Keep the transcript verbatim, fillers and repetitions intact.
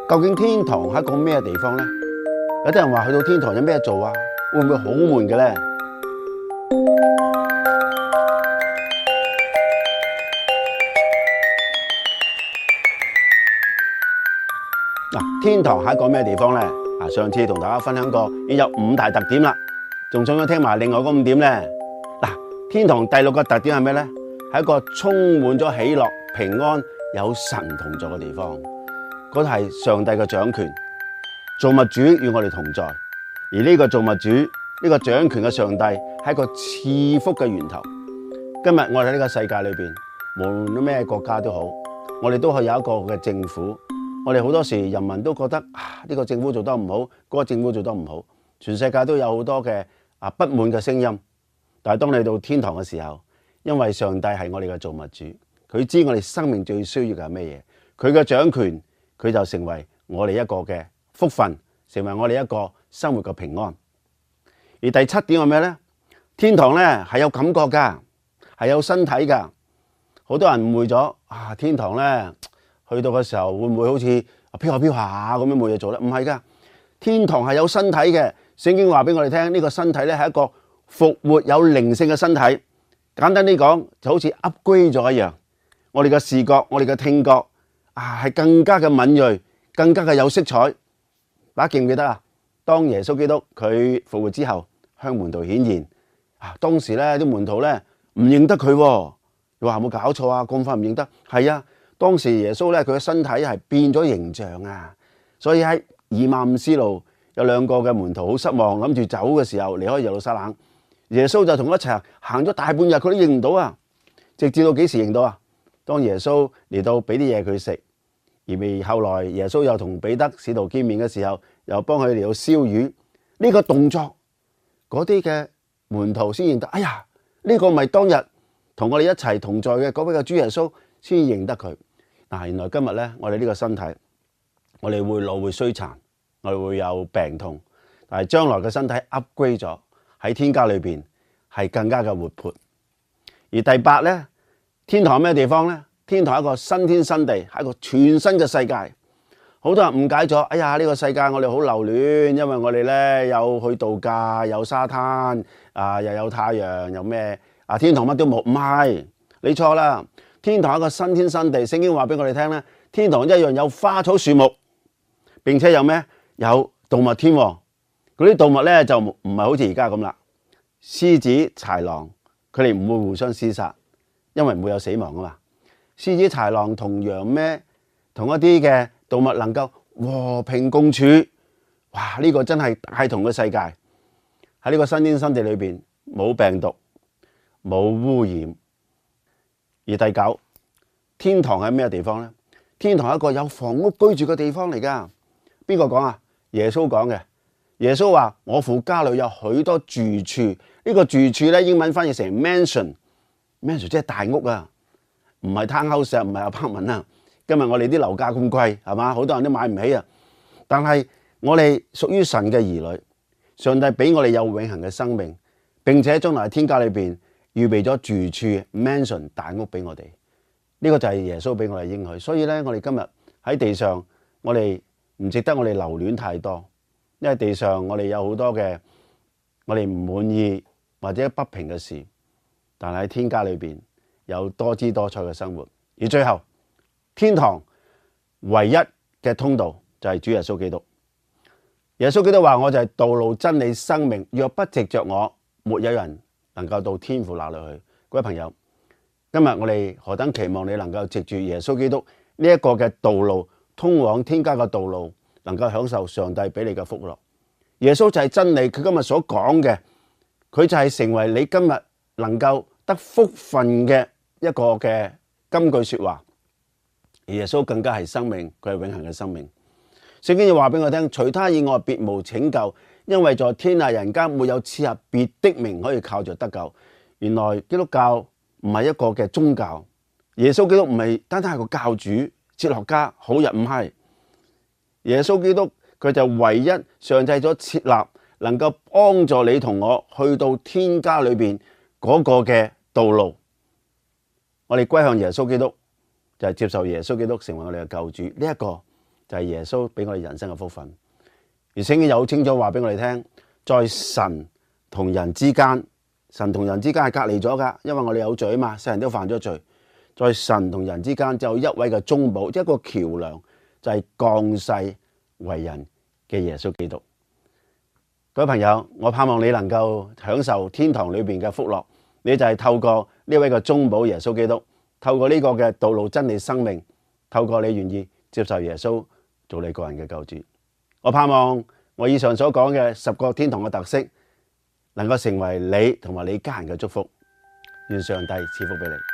究竟天堂係一個咩地方呢？有啲人話去到天堂有咩做啊？會唔會好悶嘅呢？嗱，天堂係一個咩地方呢？啊，上次同大家分享過，已經有五大特點啦，仲想唔想聽埋另外嗰五點呢？嗱，天堂第六個特點係咩呢？係一個充滿咗喜樂、平安、有神同在嘅地方。嗰度係上帝嘅掌權，造物主與我哋同在。而呢個造物主，呢、這個掌權嘅上帝係一個賜福嘅源頭。今日我哋喺呢個世界裏邊，無論咩國家都好，我哋都係有一個嘅政府。我哋好多時人民都覺得啊，呢、這個政府做得唔好，嗰、那個政府做得唔好，全世界都有好多嘅啊不滿嘅聲音。但係當你到天堂嘅時候，因為上帝係我哋嘅造物主，佢知我哋生命最需要嘅係咩嘢，佢嘅掌權。佢就成為我哋一個嘅福分，成為我哋一個生活嘅平安。而第七點係咩呢？天堂呢係有感覺㗎，係有身體㗎。好多人誤會咗啊！天堂呢去到嘅時候會唔會好似飄下飄下咁樣冇嘢做呢？唔係㗎，天堂係有身體嘅。聖經話俾我哋聽，呢個身體呢係一個復活有靈性嘅身體。簡單啲講，就好似 upgrade 咗一樣。我哋嘅視覺，我哋嘅聽覺。啊，係更加嘅敏銳，更加嘅有色彩。大家記唔記得啊？當耶穌基督佢復活之後，向門徒顯現，啊，當時咧啲門徒咧唔認得佢，你話有冇搞錯啊？咁快唔認得？係啊，當時耶穌咧佢嘅身體係變咗形象啊，所以喺以馬忤斯路有兩個嘅門徒好失望，諗住走嘅時候離開耶路撒冷，耶穌就同佢一齊行咗大半日，佢都認唔到啊，直至到幾時認到啊？當耶穌嚟到俾啲嘢佢食，而未後來耶穌又同彼得使徒見面嘅時候，又幫佢嚟到燒魚，呢個動作，嗰啲嘅門徒先認得，哎呀，呢個咪當日同我哋一齊同在嘅嗰位嘅主耶穌，先認得佢。嗱，原來今日咧，我哋呢個身體，我哋會老會衰殘，我哋會有病痛，但係將來嘅身體 upgrade 咗，喺天家裏邊係更加嘅活潑。而第八咧。天堂係咩地方呢？天堂係一個新天新地，係一個全新嘅世界。好多人誤解咗，哎呀，呢個世界我哋好留戀，因為我哋咧有去度假，有沙灘，啊又有太陽，有咩啊？天堂乜都冇，唔係，你錯啦。天堂係一個新天新地，聖經話俾我哋聽咧，天堂一樣有花草樹木，並且有咩？有動物添。嗰啲動物咧就唔係好似而家咁啦，獅子、豺狼，佢哋唔會互相廝殺。因為唔會有死亡啊嘛，獅子、豺狼同羊咩，同一啲嘅動物能夠和平共處，哇！呢個真係大同嘅世界。喺呢個新天新地裏邊，冇病毒，冇污染。而第九，天堂係咩地方呢？天堂係一個有房屋居住嘅地方嚟噶。邊個講啊？耶穌講嘅。耶穌話：我父家裏有許多住處。呢個住處咧，英文翻譯成 mansion。mansion 即係大屋啊，唔係 townhouse，唔係 apartment啊。今日我哋啲樓價咁貴，係嘛？好多人都買唔起啊。但係我哋屬於神嘅兒女，上帝俾我哋有永恆嘅生命，並且將來天家裏邊預備咗住處 mansion 大屋俾我哋。呢個就係耶穌俾我哋應許。所以咧，我哋今日喺地上，我哋唔值得我哋留戀太多，因為地上我哋有好多嘅我哋唔滿意或者不平嘅事。但係喺天家裏邊有多姿多彩嘅生活，而最後天堂唯一嘅通道就係主耶穌基督。耶穌基督話：我就係道路、真理、生命，若不藉着我，沒有人能夠到天父那裏去。各位朋友，今日我哋何等期望你能夠藉住耶穌基督呢一個嘅道路，通往天家嘅道路，能夠享受上帝俾你嘅福樂。耶穌就係真理，佢今日所講嘅，佢就係成為你今日能夠得福分嘅一個嘅金句說話。而耶穌更加係生命，佢係永恆嘅生命。聖經要話俾我聽，除他以外別無拯救，因為在天下人間沒有賜下別的名可以靠着得救。原來基督教唔係一個嘅宗教，耶穌基督唔係單單係個教主、哲學家、好人，唔係。耶穌基督佢就唯一上帝咗設立，能夠幫助你同我去到天家裏邊嗰個嘅道路。我哋歸向耶穌基督，就係接受耶穌基督成為我哋嘅救主。呢一個就係耶穌俾我哋人生嘅福分。而聖經又好清楚話俾我哋聽，在神同人之間，神同人之間係隔離咗噶，因為我哋有罪啊嘛，世人都犯咗罪。在神同人之間就有一位嘅中保，一個橋樑，就係降世為人嘅耶穌基督。各位朋友，我盼望你能夠享受天堂裏邊嘅福樂，你就係透過呢位嘅中保耶穌基督，透過呢個嘅道路真理生命，透過你願意接受耶穌做你個人嘅救主。我盼望我以上所講嘅十個天堂嘅特色，能夠成為你同埋你家人嘅祝福。願上帝賜福俾你。